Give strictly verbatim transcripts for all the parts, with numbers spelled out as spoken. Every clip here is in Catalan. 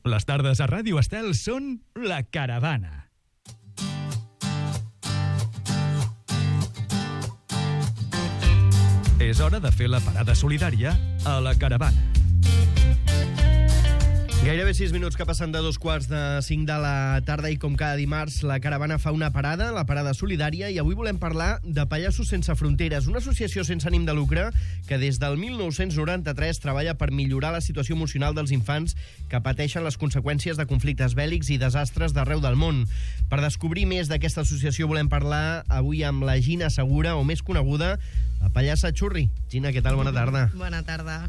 Les tardes a Ràdio Estel són La Caravana. És hora de fer la parada solidària a La Caravana. Gairebé sis minuts que passen de dos quarts de cinc de la tarda i com cada dimarts la Caravana fa una parada, la parada solidària, i avui volem parlar de Pallassos Sense Fronteres, una associació sense ànim de lucre que des del mil nou-cents noranta-tres treballa per millorar la situació emocional dels infants que pateixen les conseqüències de conflictes bèl·lics i desastres d'arreu del món. Per descobrir més d'aquesta associació volem parlar avui amb la Gina Segura, o més coneguda, la pallassa Xurri. Gina, què tal? Bona tarda. Bona tarda.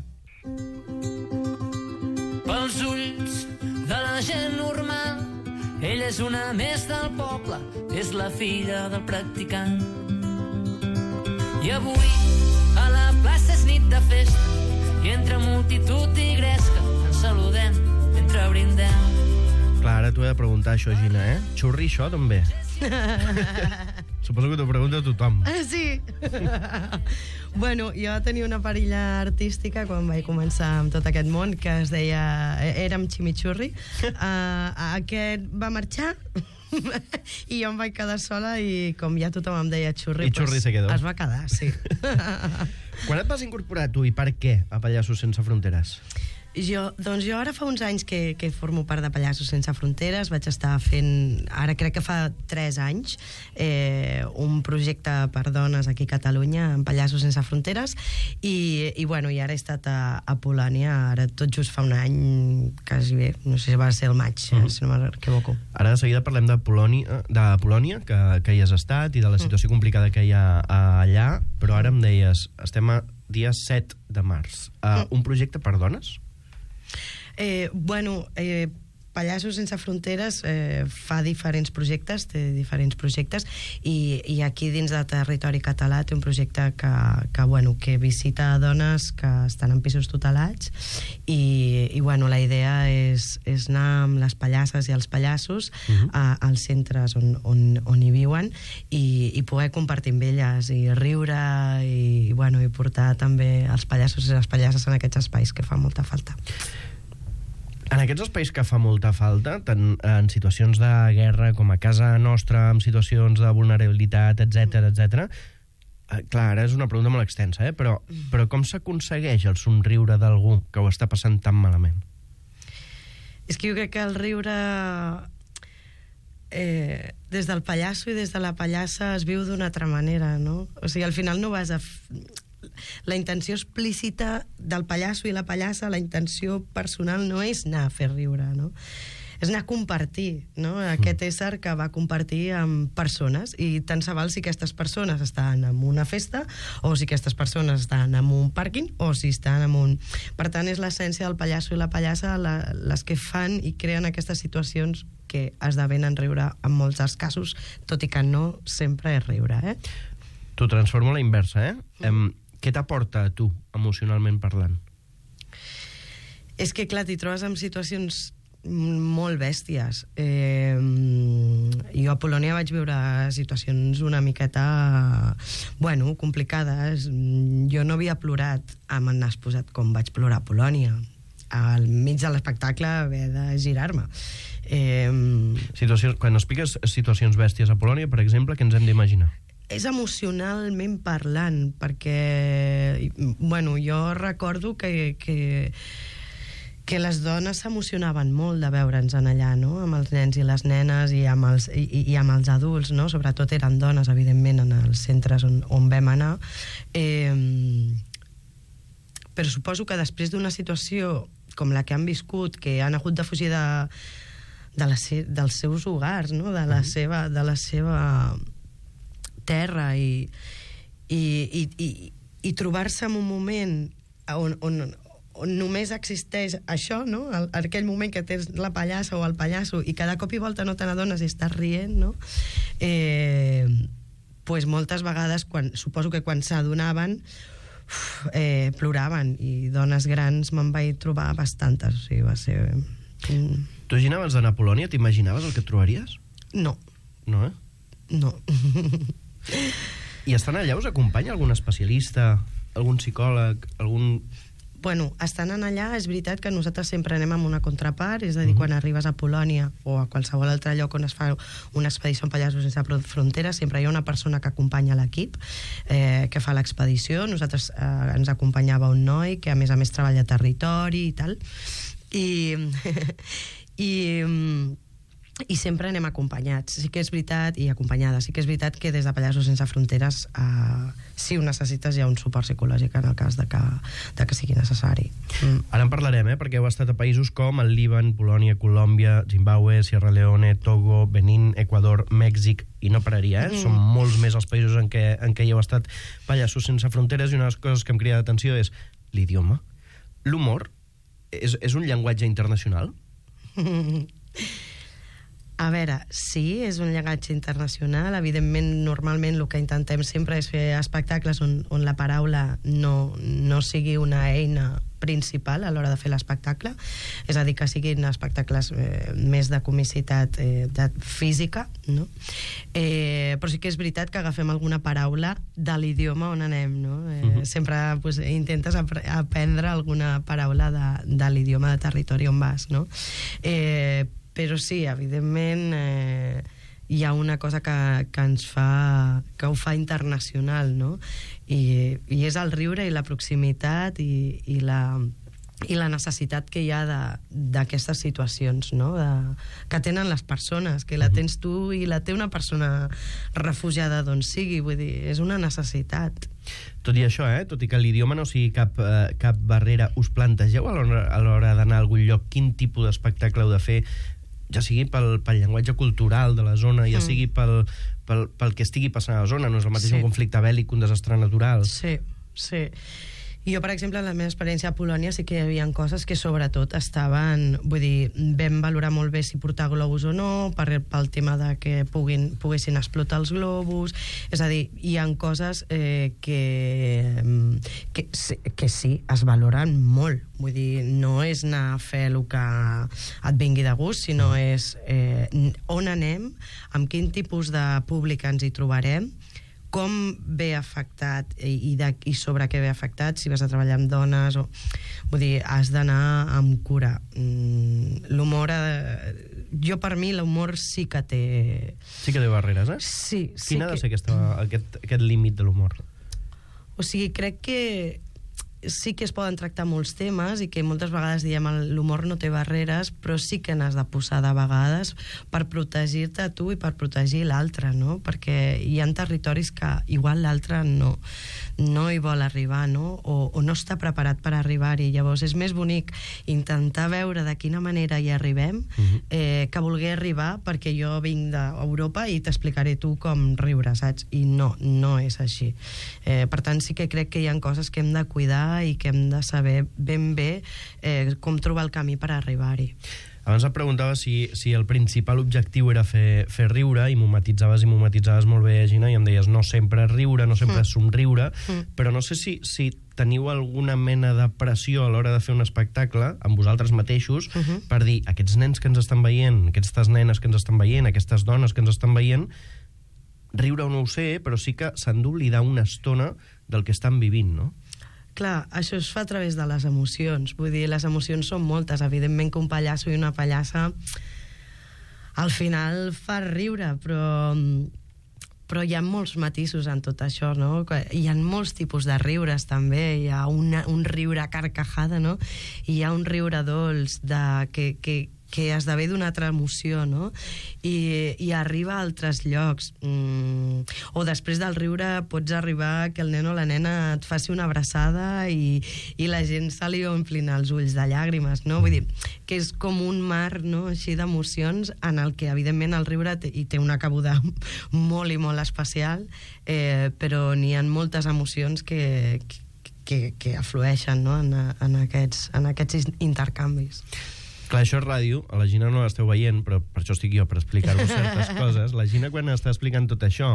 Pels ulls de la gent normal, ella és una més del poble, és la filla del practicant. I avui a la plaça és nit de festa, i entre multitud i gresca ens saludem mentre brindem. Clar, ara t'ho he de preguntar això, Gina, eh? Xurri, això, també? Suposo que t'ho pregunta tothom. Sí. Bueno, jo tenia una parella artística quan vaig començar amb tot aquest món que es deia... Érem Chimichurri. Uh, aquest va marxar i jo em vaig quedar sola i com ja tothom em deia Xurri... I Xurri pues, se quedó. Es va quedar, sí. Quan et vas incorporar tu i per què a Pallassos Sense Fronteres? Jo, doncs jo ara fa uns anys que, que formo part de Pallassos Sense Fronteres. Vaig estar fent, ara crec que fa tres anys, eh, un projecte per dones aquí a Catalunya, en Pallassos Sense Fronteres, i, i, bueno, i ara he estat a, a Polònia, ara tot just fa un any, quasi bé, no sé si va ser el maig, mm. eh, si no m'equivoco. Ara de seguida parlem de Polònia, de Polònia que, que hi has estat, i de la situació mm. complicada que hi ha allà, però ara em deies, estem a dia set de març. Uh, mm. Un projecte per dones? Eh, bueno, eh, Pallassos Sense Fronteres eh, fa diferents projectes, té diferents projectes, i, i aquí dins del territori català té un projecte que, que, bueno, que visita dones que estan en pisos tutelats, i, i bueno, la idea és, és anar amb les pallasses i els pallassos uh-huh. a, als centres on, on, on hi viuen, i, i poder compartir amb elles i riure i, i, bueno, i portar també els pallassos i les pallasses en aquests espais que fa molta falta. En aquests espais que fa molta falta, tant en situacions de guerra com a casa nostra, en situacions de vulnerabilitat, etcètera, etcètera, eh, clar, ara és una pregunta molt extensa, eh? però, però com s'aconsegueix el somriure d'algú que ho està passant tan malament? És que jo crec que el riure eh, des del pallasso i des de la pallassa es viu d'una altra manera, no? O sigui, al final no vas a... F... La intenció explícita del pallasso i la pallassa, la intenció personal no és anar a fer riure, no? És anar a compartir, no? Aquest ésser que va compartir amb persones, i tant se val si aquestes persones estan en una festa o si aquestes persones estan en un pàrquing o si estan en un... Per tant, és l'essència del pallasso i la pallassa la, les que fan i creen aquestes situacions que esdevenen riure en molts dels casos, tot i que no sempre és riure, eh? T'ho transformo a la inversa, eh? Mm. Em, què t'aporta a tu, emocionalment parlant? És que, clar, t'hi trobes en situacions molt bèsties. Eh, jo a Polònia vaig viure situacions una miqueta, bueno, complicades. Jo no havia plorat amb el nas posat com vaig plorar a Polònia. Al mig de l'espectacle haver de girar-me. Eh, situacions, quan expliques situacions bèsties a Polònia, per exemple, què ens hem d'imaginar? És emocionalment parlant, perquè, bueno, jo recordo que, que, que les dones s'emocionaven molt de veure'ns en allà, no?, amb els nens i les nenes i amb els, i, i amb els adults, no?, sobretot eren dones, evidentment, en els centres on, on vam anar. Eh, però suposo que després d'una situació com la que han viscut, que han hagut de fugir de, de les, dels seus hogars, no?, de la seva... De la seva terra i, i, i, i, i trobar-se en un moment on, on, on només existeix això, no? El, aquell moment que tens la pallassa o el pallasso i cada cop i volta no te n'adones i estàs rient, no? Eh, pues moltes vegades, quan, suposo que quan s'adonaven, eh, ploraven, i dones grans me'n vaig trobar bastantes, o sigui, va ser... Mm. Tu, Gina, abans d'anar a Polònia, t'imaginaves el que et trobaries? No. No, eh? No. I estan allà us acompanya algun especialista, algun psicòleg, algun bueno, estant en allà, és veritat que nosaltres sempre anem amb una contrapart, és a dir, uh-huh. quan arribes a Polònia o a qualsevol altre lloc on es fa una expedició en Pallassos Sense Fronteres, sempre hi ha una persona que acompanya l'equip, eh, que fa l'expedició. Nosaltres eh, ens acompanyava un noi que a més a més treballa a territori i tal, i... i i sempre anem acompanyats. Sí que és veritat, i acompanyades, sí que és veritat que des de Pallassos Sense Fronteres eh, si ho necessites hi ha un suport psicològic en el cas de que, de que sigui necessari. Mm. Ara en parlarem, eh, perquè heu estat a països com el Líban, Polònia, Colòmbia, Zimbabue, Sierra Leone, Togo, Benín, Equador, Mèxic, i no pararia, eh? Mm. Són molts més els països en què, en què hi heu estat Pallassos Sense Fronteres, i una de les coses que em crida l'atenció és l'idioma. L'humor és, és un llenguatge internacional? A veure, sí, és un llenguatge internacional. Evidentment, normalment el que intentem sempre és fer espectacles on, on la paraula no, no sigui una eina principal a l'hora de fer l'espectacle, és a dir, que siguin espectacles eh, més de comicitat eh, de física, no? Eh, però sí que és veritat que agafem alguna paraula de l'idioma on anem, no? Eh, uh-huh. Sempre pues, intentes ap- aprendre alguna paraula de, de l'idioma de territori on vas, no? Eh, però sí, evidentment eh, hi ha una cosa que, que ens fa que ho fa internacional, no? I, i és el riure i la proximitat i, i, la, i la necessitat que hi ha d'aquestes situacions, no? De, que tenen les persones, que la tens tu i la té una persona refugiada d'on sigui, vull dir, és una necessitat. Tot i això, eh, tot i que l'idioma no sigui cap, eh, cap barrera, us plantegeu a l'hora, a l'hora d'anar a algun lloc quin tipus d'espectacle heu de fer, ja sigui pel, pel llenguatge cultural de la zona, ja mm. sigui pel, pel, pel que estigui passant a la zona, no és el mateix sí. un conflicte bèl·lic que un desastre natural. Sí, sí. I jo, per exemple, en la meva experiència a Polònia sí que hi havia coses que sobretot estaven... Vull dir, vam valorar molt bé si portar globus o no, per, pel tema de que puguin, poguessin explotar els globus. És a dir, hi ha coses eh, que, que, que sí, es valoren molt. Vull dir, no és anar a fer el que et vingui de gust, sinó és eh, on anem, amb quin tipus de públic ens hi trobarem, com ve afectat i, de, i sobre què ve afectat, si vas a treballar amb dones o... Vull dir, has d'anar amb cura. Mm, l'humor... Eh, jo, per mi, l'humor sí que té... Sí que té barreres, eh? Sí. Quin sí ha de que... ser aquesta, aquest, aquest límit de l'humor? O sigui, crec que sí que es poden tractar molts temes i que moltes vegades diem l'humor no té barreres, però sí que n'has de posar de vegades per protegir-te a tu i per protegir l'altre, no? Perquè hi ha territoris que igual l'altre no, no hi vol arribar, no? O, o no està preparat per arribar-hi. Llavors és més bonic intentar veure de quina manera hi arribem uh-huh. eh, que voler arribar perquè jo vinc d'Europa i t'explicaré tu com riure, saps? I no, no és així. Eh, per tant, sí que crec que hi ha coses que hem de cuidar i que hem de saber ben bé eh, com trobar el camí per arribar-hi. Abans et preguntava si, si el principal objectiu era fer, fer riure, i m'ho matitzaves i m'ho matitzaves molt bé, Gina, i em deies no sempre riure, no sempre mm. somriure, mm. però no sé si, si teniu alguna mena de pressió a l'hora de fer un espectacle amb vosaltres mateixos mm-hmm. per dir, aquests nens que ens estan veient, aquestes nenes que ens estan veient, aquestes dones que ens estan veient, riure o no ho sé, però sí que s'han d'oblidar una estona del que estan vivint, no? Clar, això es fa a través de les emocions. Vull dir, les emocions són moltes. Evidentment que un pallasso i una pallassa al final fa riure, però, però hi ha molts matisos en tot això, no? Hi ha molts tipus de riures, també. Hi ha una, un riure carcajada, no? I hi ha un riure dolç de, que, que, que esdevé d'una altra emoció, no? I, i arriba a altres llocs. Mm. O després del riure pots arribar que el nen o la nena et faci una abraçada i, i la gent se li omplin els ulls de llàgrimes, no? Vull dir, que és com un mar, no?, així d'emocions en el que, evidentment, el riure té, hi té una cabuda molt i molt especial, eh, però n'hi ha moltes emocions que, que, que aflueixen, no?, en, en, aquests, en aquests intercanvis. Clar, això és ràdio, a la Gina no l'esteu veient, però per això estic jo, per explicar-vos certes coses. La Gina, quan està explicant tot això,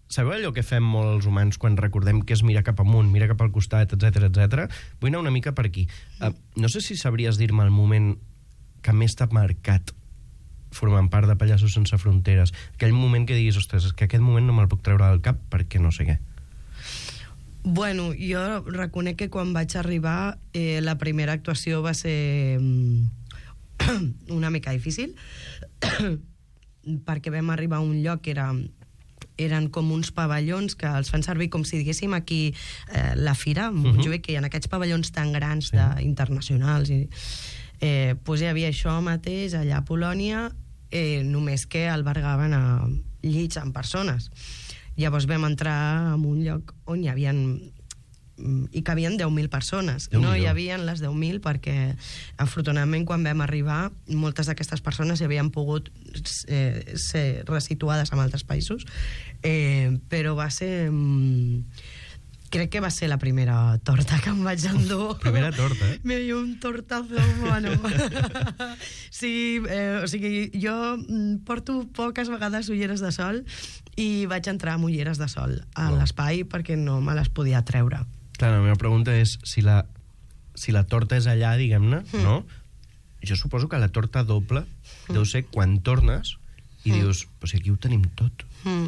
sabeu allò que fem molt els humans quan recordem que és mirar cap amunt, mirar cap al costat, etcètera, etcètera? Vull anar una mica per aquí. Uh, no sé si sabries dir-me el moment que més t'ha marcat formant part de Pallassos Sense Fronteres. Aquell moment que diguis, ostres, és que aquest moment no me'l puc treure del cap perquè no sé què. Bueno, jo reconec que quan vaig arribar eh, la primera actuació va ser mm, una mica difícil perquè vam arribar a un lloc que era, eren com uns pavellons que els fan servir com si diguéssim aquí eh, la fira, uh -huh. Montjuïc, que hi ha aquests pavellons tan grans sí. de, internacionals i, eh, pues hi havia això mateix allà a Polònia, eh, només que albergaven a llits amb persones. Llavors vam entrar en un lloc on hi havia hi cabien deu mil persones. Déu no hi havia les deu mil perquè, afortunadament, quan vam arribar, moltes d'aquestes persones hi havien pogut eh, ser resituades en altres països, eh, però va ser... Mm, crec que va ser la primera torta que em vaig endur. Primera torta, eh? Me dio un tortazo, bueno. Sí, eh, o sigui, jo porto poques vegades ulleres de sol i vaig entrar amb ulleres de sol a oh. l'espai perquè no me les podia treure. Clar, la meva pregunta és si la, si la torta és allà, diguem-ne, mm. no? Jo suposo que la torta doble mm. deu ser quan tornes i mm. dius, però si aquí ho tenim tot. Mm.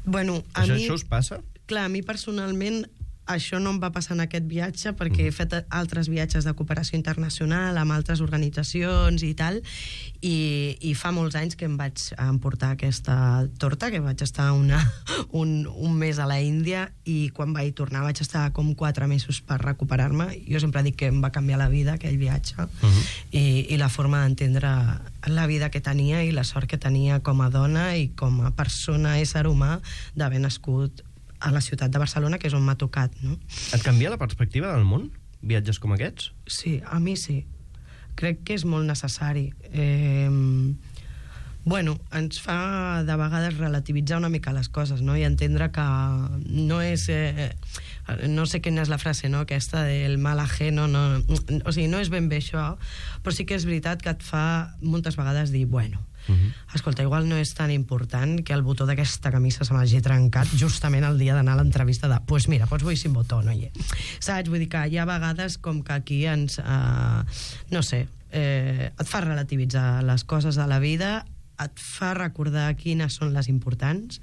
Bueno, a això, mi... això us passa? Clar, a mi personalment això no em va passar en aquest viatge perquè mm. he fet altres viatges de cooperació internacional amb altres organitzacions i tal, i, i fa molts anys que em vaig emportar aquesta torta, que vaig estar una, un, un mes a la Índia, i quan vaig tornar vaig estar com quatre mesos per recuperar-me. Jo sempre dic que em va canviar la vida aquell viatge, mm-hmm. i, i la forma d'entendre la vida que tenia i la sort que tenia com a dona i com a persona, ésser humà, d'haver nascut a la ciutat de Barcelona, que és on m'ha tocat, no? Et canvia la perspectiva del món, viatges com aquests? Sí, a mi sí. Crec que és molt necessari. Eh, bueno, ens fa de vegades relativitzar una mica les coses, no? I entendre que no és... Eh, no sé quina és la frase, no? Aquesta del mal ajeno, no, o sigui, no és ben bé això, però sí que és veritat que et fa moltes vegades dir, bueno, Uh-huh. escolta, igual no és tan important que el botó d'aquesta camisa se m'hagi trencat justament el dia d'anar a l'entrevista de, pues mira, pots vull sin botó, no hi és. Saps? Vull dir que hi ha vegades com que aquí ens, eh, no sé, eh, et fa relativitzar les coses de la vida, et fa recordar quines són les importants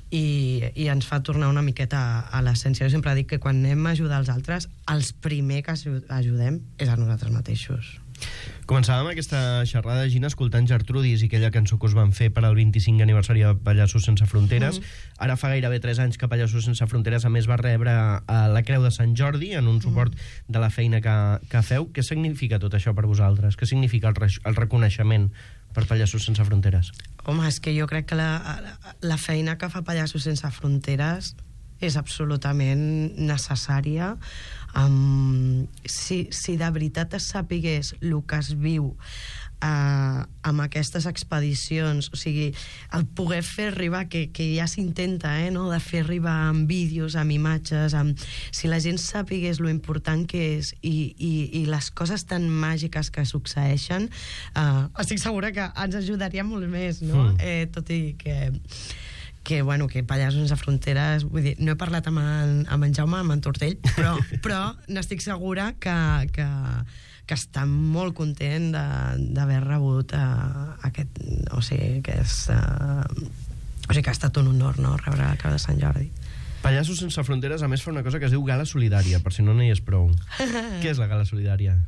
i, i ens fa tornar una miqueta a, a l'essència. Jo sempre dic que quan anem a ajudar els altres, els primer que ajudem és a nosaltres mateixos. Començàvem aquesta xerrada, Gina, escoltant Gertrudis i aquella cançó que us van fer per al vint-i-cinquè aniversari de Pallassos Sense Fronteres. Mm. Ara fa gairebé tres anys que Pallassos Sense Fronteres a més va rebre a la Creu de Sant Jordi en un suport mm. de la feina que, que feu. Què significa tot això per vosaltres? Què significa el, re el reconeixement per Pallassos Sense Fronteres? Home, és que jo crec que la, la, la feina que fa Pallassos Sense Fronteres és absolutament necessària. Um, si, si de veritat es sapigués el que es viu uh, amb aquestes expedicions, o sigui, el poder fer arribar, que, que ja s'intenta, eh, no? De fer arribar amb vídeos, amb imatges, amb... si la gent sapigués lo important que és i, i, i les coses tan màgiques que succeeixen, uh, estic segura que ens ajudaria molt més, no? Mm. Eh, tot i que... que, bueno, que Pallassos Sense Fronteres, vull dir, no he parlat amb en, amb en Jaume, amb en Tortell, però, però n'estic segura que, que, que està molt content d'haver rebut uh, aquest, o sigui, que és, uh, o sigui, que ha estat un honor, no?, rebre la Creu de Sant Jordi. Pallassos Sense Fronteres, a més, fa una cosa que es diu Gala Solidària, per si no n'hi és prou. Què és la Gala Solidària?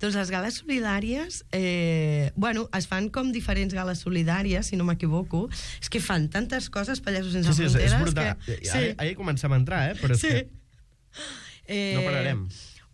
Doncs les gales solidàries, eh, bueno, es fan com diferents gales solidàries, si no m'equivoco. És que fan tantes coses, Pallassos Sense sí, sí, Fronteres... Sí, és brutal. Que... Sí. Ara, ara hi comencem a entrar, eh? Però és sí. que eh, no pararem.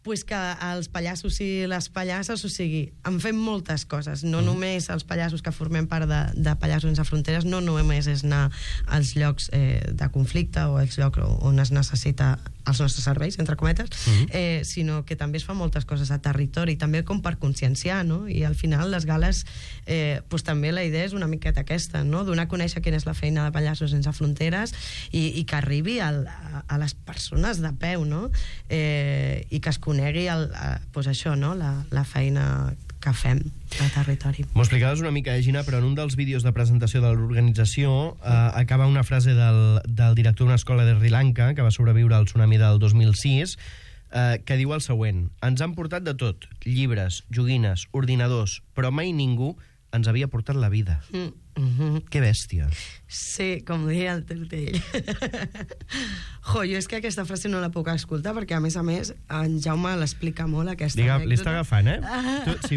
Pues que els pallassos i les pallasses, o sigui, en fem moltes coses, no mm. només els pallassos que formem part de, de Pallassos Sense Fronteres, no només és anar als llocs eh, de conflicte o als llocs on es necessita els nostres serveis, entre cometes, mm. eh, sinó que també es fan moltes coses a territori, també com per conscienciar, no? I al final les gales, eh, pues també la idea és una miqueta aquesta, no? Donar a conèixer quina és la feina de Pallassos Sense Fronteres i, i que arribi al, a, a les persones de peu, no? Eh, i que es conegui el, a, pues això, no? La, la feina que fem al territori. M'ho explicaves una mica, eh, Gina, però en un dels vídeos de presentació de l'organització eh, acaba una frase del, del director d'una escola de Sri Lanka que va sobreviure al tsunami del dos mil sis, eh, que diu el següent: ens han portat de tot, llibres, joguines, ordinadors, però mai ningú ens havia portat la vida. Mm. Mm-hmm. Que bèstia. Sí, com diria el Tortell. Jo, jo és que aquesta frase no la puc escoltar perquè, a més a més, en Jaume l'explica molt, aquesta Digue, anècdota. li està agafant, eh? Tu, si,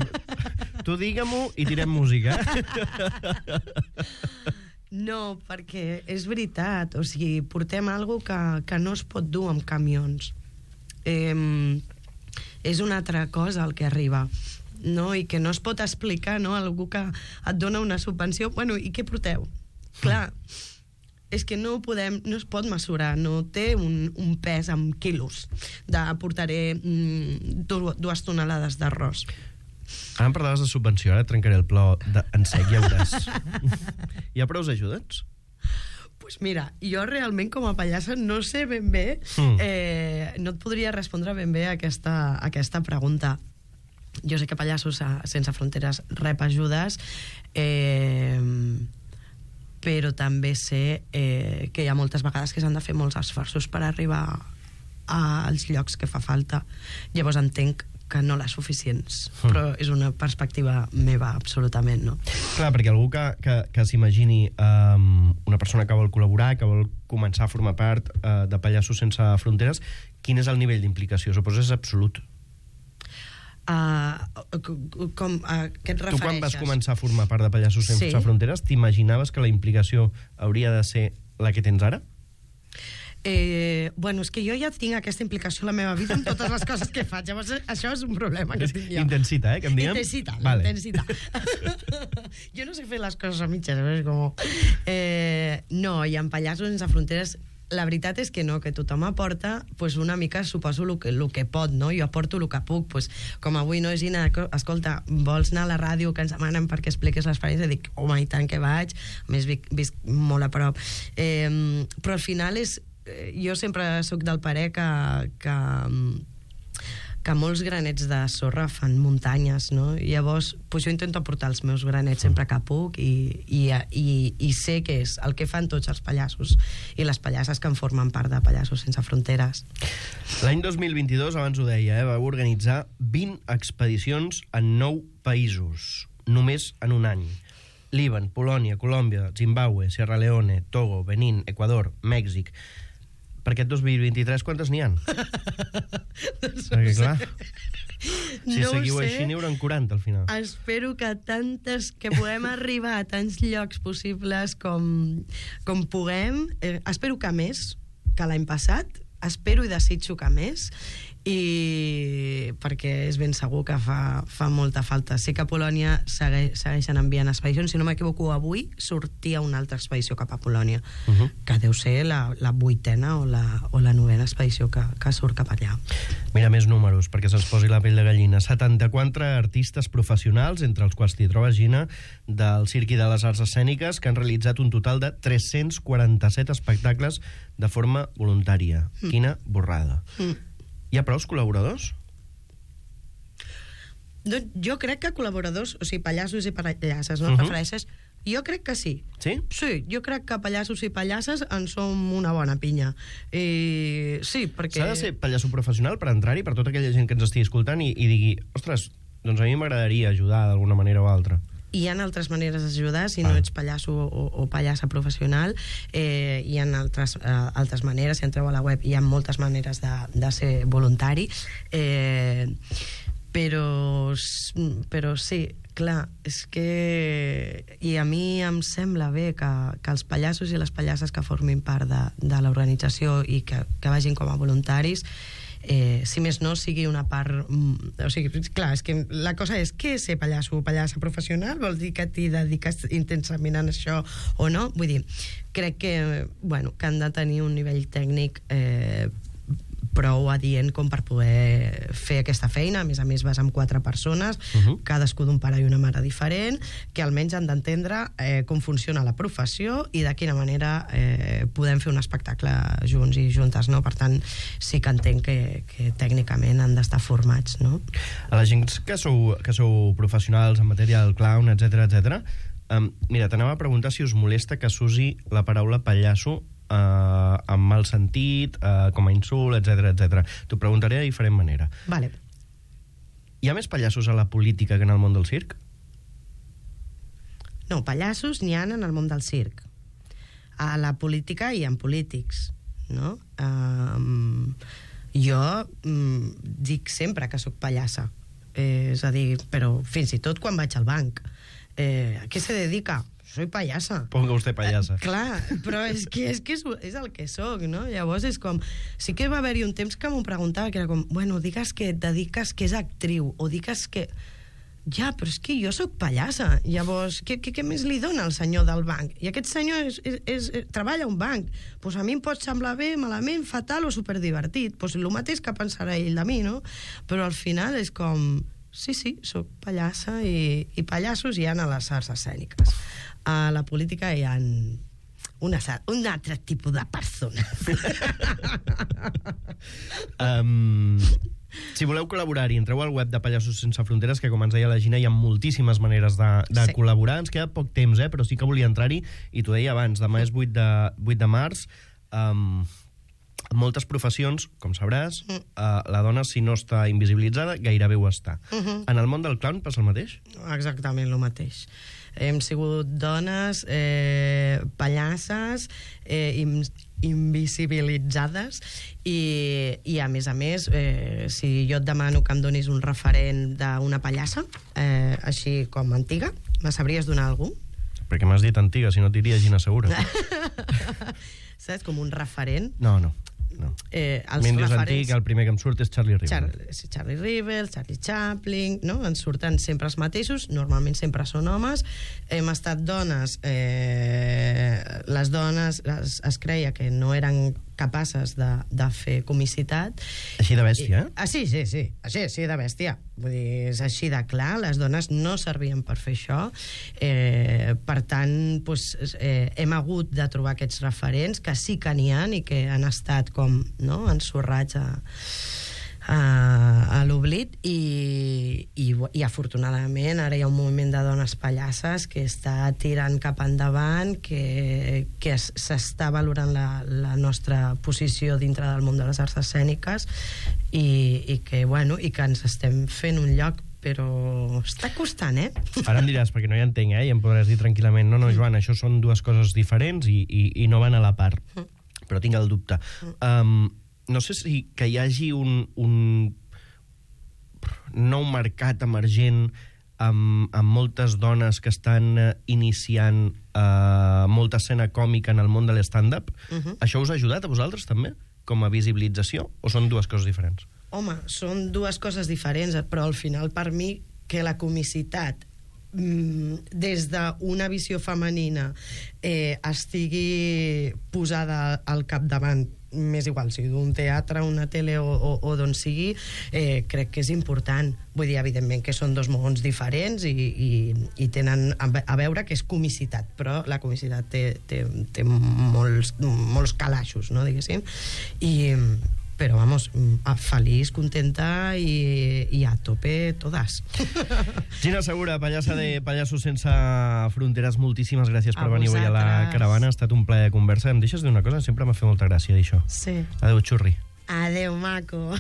tu digue-m'ho i tirem música. No, perquè és veritat. O sigui, portem alguna que, que no es pot dur amb camions. Eh, és una altra cosa el que arriba, no? I que no es pot explicar, no? Algú que et dona una subvenció. Bueno, i què porteu? Clar, és que no podem, no es pot mesurar, no té un, un pes en quilos de portaré mm, dues tonelades d'arròs. Ara em parlaves de subvenció, ara trencaré el plor de... en sec, ja veuràs. Hi ha prou ajudes? Pues mira, jo realment com a pallassa no sé ben bé, mm. eh, no et podria respondre ben bé a aquesta, a aquesta pregunta. Jo sé que Pallassos Sense Fronteres rep ajudes, eh, però també sé eh, que hi ha moltes vegades que s'han de fer molts esforços per arribar als llocs que fa falta. Llavors entenc que no les suficients, mm. però és una perspectiva meva, absolutament, no? Clar, perquè algú que, que, que s'imagini um, una persona que vol col·laborar, que vol començar a formar part uh, de Pallassos Sense Fronteres, quin és el nivell d'implicació? Suposo és absolut. Uh, com, uh, què et refereixes? Tu quan vas començar a formar part de Pallassos Sense Sí. Fronteres, t'imaginaves que la implicació hauria de ser la que tens ara? Eh, bueno, és que jo ja tinc aquesta implicació a la meva vida en totes les coses que faig. Llavors, això és un problema que tinc jo. Intensita, eh, que em diguem? Intensita, vale. intensita. Jo no sé fer les coses a mitges, és com... Eh, no, i en Pallassos Sense Fronteres la veritat és que no, que tothom aporta pues, una mica, suposo, el que, el que pot, no? Jo aporto el que puc, pues, com avui, no, Gina, escolta, vols anar a la ràdio que ens demanen perquè expliquis l'experiència? Dic, home, i tant que vaig, a més visc, visc molt a prop. Eh, però al final és... Jo sempre sóc del parer que, que, que molts granets de sorra fan muntanyes, no? I llavors, pues jo intento aportar els meus granets sempre que puc i, i, i, i sé que és el que fan tots els pallassos i les pallasses que en formen part de Pallassos Sense Fronteres. L'any dos mil vint-i-dos, abans ho deia, eh, vau organitzar vint expedicions en nou països, només en un any. Líban, Polònia, Colòmbia, Zimbabue, Sierra Leone, Togo, Benín, Equador, Mèxic... Per aquest dos mil vint-i-tres, quantes n'hi ha? Perquè, clar, si No ho seguiu sé. així, n'hi hauran quaranta al final. Espero que tantes, que puguem arribar a tants llocs possibles com, com puguem. Eh, espero que més que l'any passat. Espero i desitjo que més. I perquè és ben segur que fa, fa molta falta. Sé que a Polònia segue, segueixen enviant expedicions. Si no m'equivoco, avui sortia una altra expedició cap a Polònia, uh -huh. que deu ser la, la vuitena o la, o la novena expedició que, que surt cap allà. Mira, més números, perquè se'ls posi la pell de gallina. setanta-quatre artistes professionals, entre els quals t'hi trobes, Gina, del Circ i de les Arts Escèniques, que han realitzat un total de tres-cents quaranta-set espectacles de forma voluntària. Mm. Quina borrada. Mm. Hi ha prous col·laboradors? Doncs jo crec que col·laboradors, o sigui, pallassos i pallasses, no? Uh -huh. Prefereixes? Jo crec que sí. Sí? Sí, jo crec que pallassos i pallasses en som una bona pinya. I sí, perquè... S'ha de ser pallasso professional per entrar-hi, per tota aquella gent que ens estigui escoltant i, i digui, ostres, doncs a mi m'agradaria ajudar d'alguna manera o altra. Hi ha altres maneres d'ajudar, si ah. no ets pallasso o, o pallassa professional, eh, hi ha altres, eh, altres maneres, si entreu a la web hi ha moltes maneres de, de ser voluntari, eh, però, però sí, clar, és que... I a mi em sembla bé que, que els pallassos i les pallasses que formin part de, de l'organització i que, que vagin com a voluntaris, Eh, si més no, sigui una part... O sigui, clar, és que la cosa és què és ser pallasso o pallassa professional? Vol dir que t'hi dediques intensament a això o no? Vull dir, crec que, bueno, que han de tenir un nivell tècnic eh, prou adient com per poder fer aquesta feina. A més a més, vas amb quatre persones, uh -huh. cadascú d'un pare i una mare diferent, que almenys han d'entendre eh, com funciona la professió i de quina manera eh, podem fer un espectacle junts i juntes, no? Per tant, sí que entenc que, que tècnicament han d'estar formats, no? A la gent que sou, que sou professionals en matèria del clown, etcètera, etcètera, um, mira, t'anava a preguntar si us molesta que s'usi la paraula pallasso Uh, amb mal sentit, uh, com a insult, etcètera, etcètera. T'ho preguntaré de diferent manera. Vale. Hi ha més pallassos a la política que en el món del circ? No, pallassos n'hi ha en el món del circ. A la política hi ha polítics, no? Um, jo um, dic sempre que sóc pallassa. Eh, és a dir, però fins i tot quan vaig al banc. Eh, a què se dedica? Soy payasa. Ponga usted payasa. Eh, clar, però és que, és, que és, és el que soc, no? Llavors és com... Sí que va haver-hi un temps que m'ho preguntava, que era com, bueno, digues que et dediques que és actriu, o digues que... Ja, però és que jo sóc pallassa. Llavors, què, què, què més li dona al senyor del banc? I aquest senyor és, és, és, treballa a un banc. Pues a mi em pot semblar bé, malament, fatal o superdivertit. Pues el mateix que pensarà ell de mi, no? Però al final és com... Sí, sí, sóc pallassa i, i pallassos hi ha a les arts escèniques. A la política hi ha una, un altre tipus de persona. um, si voleu col·laborar-hi, entreu al web de Pallassos Sense Fronteres, que com ens deia la Gina, hi ha moltíssimes maneres de, de sí. col·laborar. Ens queda poc temps, eh? Però sí que volia entrar-hi, i t'ho deia abans, demà és vuit de, vuit de març. Um, moltes professions, com sabràs, mm. uh, la dona, si no està invisibilitzada, gairebé ho està. Uh -huh. En el món del clown passa el mateix? Exactament el mateix. Hem sigut dones, eh, pallasses, eh, im, invisibilitzades i, i, a més a més, eh, si jo et demano que em donis un referent d'una pallassa, eh, així com antiga, me sabries donar algú? Perquè m'has dit antiga, si no et diria Gina Segura. Saps? Com un referent. No, no. No. Eh, els Mendes referents... antic, el primer que em surt és Charlie Rivel. Char Charlie Rivel, Charlie Chaplin, no? Ens surten sempre els mateixos, normalment sempre són homes. Hem estat dones, eh, les dones es, es creia que no eren capaces de, de fer comicitat. Així de bèstia, eh? Ah, sí, sí, sí, així, així de bèstia. Vull dir, és així de clar, les dones no servien per fer això. Eh, per tant, doncs, eh, hem hagut de trobar aquests referents que sí que n'hi ha i que han estat com, no?, ensorrats a, a, a l'oblit i, i, i afortunadament ara hi ha un moviment de dones pallasses que està tirant cap endavant, que, que s'està valorant la, la nostra posició dintre del món de les arts escèniques i, i, que, bueno, i que ens estem fent un lloc, però està costant, eh? Ara em diràs, perquè no hi entenc, eh? I em podràs dir tranquil·lament, no, no, Joan, això són dues coses diferents i, i, i no van a la part. Però tinc el dubte. Um, no sé si que hi hagi un, un nou mercat emergent amb, amb moltes dones que estan uh, iniciant uh, molta escena còmica en el món de l'stand-up. Uh-huh. Això us ha ajudat a vosaltres, també? Com a visibilització? O són dues coses diferents? Home, són dues coses diferents, però al final, per mi, que la comicitat des d'una visió femenina eh, estigui posada al capdavant, més igual, si d'un teatre, una tele o, o, o d'on sigui, eh, crec que és important. Vull dir, evidentment que són dos mons diferents i, i, i tenen a veure que és comicitat, però la comicitat té, té, té molts, molts calaixos, no, diguéssim, i però, vamos, feliç, contenta i, i a tope todas. Gina Segura, pallassa de Pallassos Sense Fronteres, moltíssimes gràcies per a venir avui a la caravana. Ha estat un plaer de conversa. Em deixes dir una cosa? Sempre m'ha fet molta gràcia dir això. Sí. Adéu, xurri. Adéu, maco.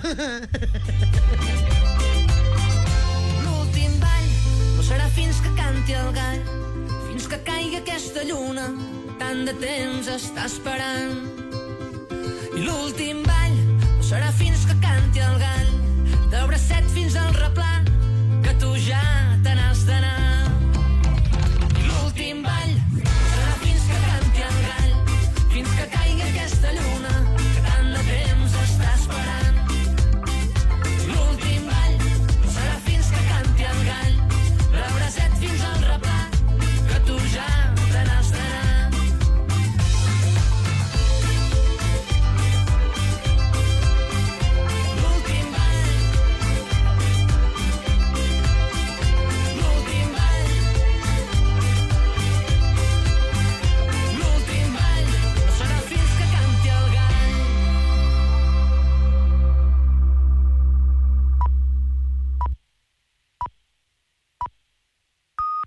L'últim ball no serà fins que canti el gall, fins que caigui aquesta lluna, tant de temps està esperant. I l'últim ball serà fins que canti el gall, del bracet fins al replà, que tu ja te n'has d'anar.